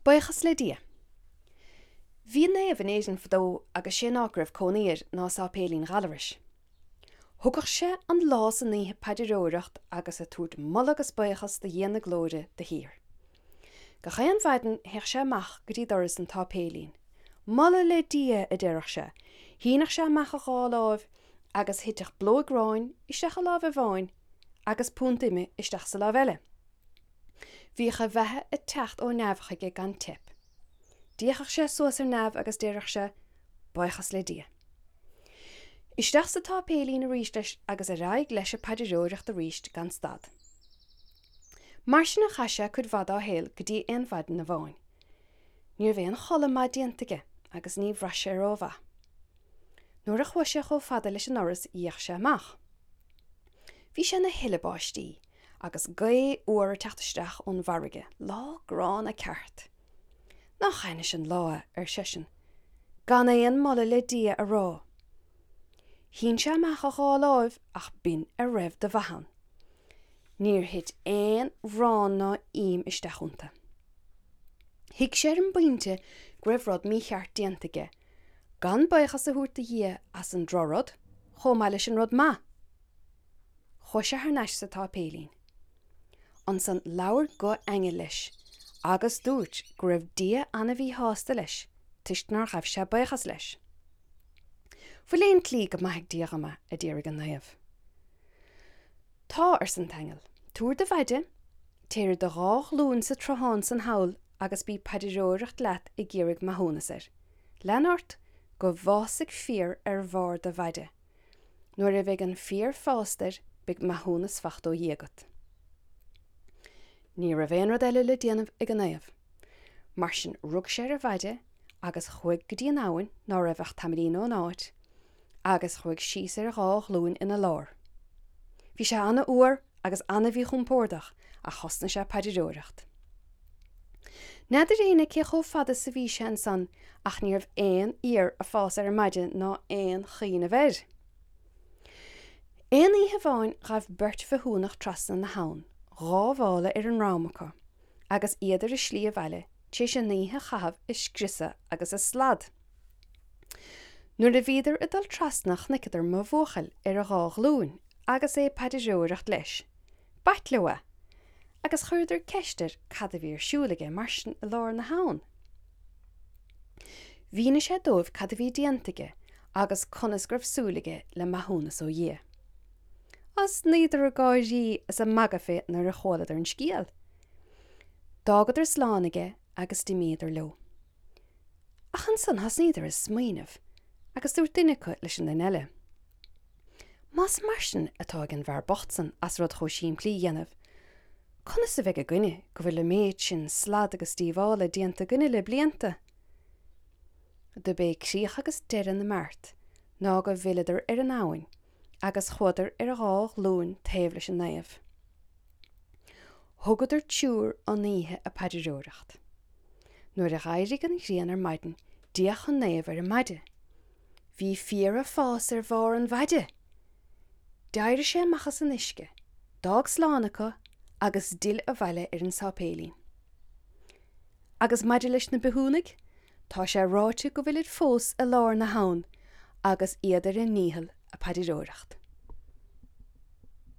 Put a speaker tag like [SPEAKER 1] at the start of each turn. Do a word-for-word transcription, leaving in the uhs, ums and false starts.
[SPEAKER 1] Buíochas le Dia. Bhí naomh in Éirinn fadó agus sé an áit go raibh cónaí air ná Sáipéilín Ghallarais. Thugadh sé an lá is an oíche ag paidreoireacht agus ag tabhairt moladh agus buíochas do Dhia na glóire de shíor. Gach aon mhaidin théadh sé amach go dtí doras an tsáipéilín. Moladh le Dia a deireadh sé, shíneadh sé amach a dhá láimh agus thiteadh blóig aráin isteach i láimh amháin agus punt ime isteach sa láimh eile. Bhíodh a bheatha ag teacht ó neamh chuige gan teip. D'fhéachadh sé suas ar neamh agus deireadh sé, Buíochas le Dia. Isteach sa tsáipéilín arís leis agus ar aghaidh leis an bpaidreoireacht arís gan stad. Mar sin a chaith sé cuid mhaith dá shaol go dtí aon mhaidin amháin. Ní raibh aon chodladh maith déanta aige agus ní bhraith sé rómhaith. Nuair a chuaigh sé chomh fada leis an ndoras d'fhéach sé amach. Bhí sé ina thuile báistí agus gaoth fhuar ag teacht isteach ón bhfarraige, lá gránna ceart. Nach ainnis an lá é, ar seisean, gan aon moladh le Dia a rá. Shín sé amach a dhá láimh ach b'in a raibh de mhaith ann. Níor thit aon bhraon ná im isteach iontu. Thuig sé ar an bpointe go raibh rud mícheart déanta aige, gan buíochas a thabhairt do Dhia as an drochrud chomh maith leis an rud maith. Chuaigh sé thar n-ais sa tsáipéilín. Ansan labhair guth aingil leis agus dúirt go raibh Dia ana-mhíshásta leis toisc nár ghabh sé buíochas leis. Bhfuil aon tslí go maithfidh Dia dhom é, a d'fhiafraigh an naomh. Tá, arsa an t-aingeal, tabhair do mhaide, téir ar do dhá ghlúin sa tsruthán san thall agus bí ag paidreoireacht leat ag iarraidh maithiúnas air. Lean ort go bhfásfaidh féar ar bharr do mhaide. Nuair a bheidh an féar fásta air beidh maithiúnas fachta ó Dhia agat. Ní raibh aon rud eile le déanamh ag an naomh. Mar sin rug sé ar a mhaide agus chuaigh go dtí an abhainn ná raibh ach tamaillín ón áit, agus chuaigh síos ar a dhá ghlúin ina lár. Bhí sé ana-fhuar agus ana-mhíchompordach ach thosnaigh sé ag paidreoireacht. N'fheadar éinne cé chomh fada is a bhí sé ansan ach ní raibh aon fhéar ag fás ar an maide ná aon chuimhneamh air. Aon oíche amháin ghabh beirt bhithiúnach trasna na habhann, dhá mhála ar a ndroim acu, agus iad ar a slí abhaile tar éis an oíche a chaitheamh ag scriosadh agus ag slad. Nuair a bhíodar ag dul trasna chonaiceadar mo bhuachaill ar a dhá ghlúin agus é ag paidreoireacht leis. B'ait leo é, agus chuireadar ceist air cad a bhí ar siúl aige mar sin i lár na habhann. Mhínigh sé dóibh cad a bhí déanta aige agus conas go raibh súil aige le maithiúnas ó Dhia. Thosnaíodar ag gáirí is ag magadh fé nuair a chualadar an scéal. D'fhágadar slán aige agus d'imíodar leo. Ach ansan thosnaíodar ag smaoineamh agus dúirt duine acu leis an duine eile, Más mar sin atá ag an bhfear bocht san as rud chomh simplí a dhéanamh, conas a bheidh againne go bhfuil an méid sin slad agus díobhála déanta againne le blianta? Dob é críoch agus deireadh na mbeart ná go bhfilleadar ar an abhainn agus chuadar ar a dhá ghlúin taobh leis an naomh. Thugadar triúr an oíche ag paidreoireacht. Nuair a dh'éirigh an ghrian ar maidin d'fhéach an naomh ar an maide. Bhí féar ag fás ar bharr an mhaide! D'éirigh sé amach as an uisce, d'fhág slán acu agus d'fhill abhaile ar an sáipéilín. Agus maidir leis na bithiúnaigh, tá sé ráite go bhfuilid fós i lár na habhann agus iad ar a ndícheall ag paidreoireacht.